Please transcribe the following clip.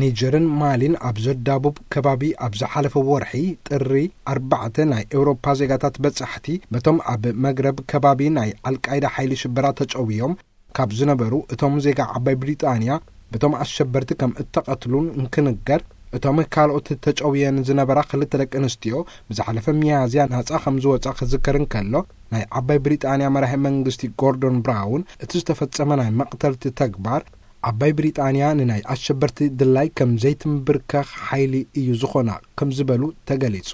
ኒጀርን ማሊን ኣብ ዘዳቡብ ከባቢ ኣብ ዝሓለፈ ወርሒ ጥሪ ኣርባዕተ ናይ ኤውሮፓ ዜጋታት በጻሕቲ በቶም ኣብ መግረብ ከባቢ ናይ ኣልቃይዳ ሓይሊ ሽበራ ተጨውዮም ካብ ዝነበሩ እቶም ዜጋ ዓባይ ብሪጣንያ በቶም ኣሸበርቲ ከም እተቐትሉን እንክንገር፣ እቶም ካልኦት ተጨውየን ዝነበራ ክልተ ደቂ ኣንስትዮ ብዝሓለፈ ሚያዝያ ናጻ ከም ዝወጻ ክዝከር እንከሎ፣ ናይ ዓባይ ብሪጣንያ መራሒ መንግስቲ ጎርዶን ብራውን እቲ ዝተፈጸመ ናይ መቕተልቲ ተግባር ዓባይ ብሪጣንያ ንናይ ኣሸበርቲ ድላይ ከም ዘይትምብርከኽ ሓይሊ እዩ ዝኾና ከም ዝበሉ ተገሊጹ።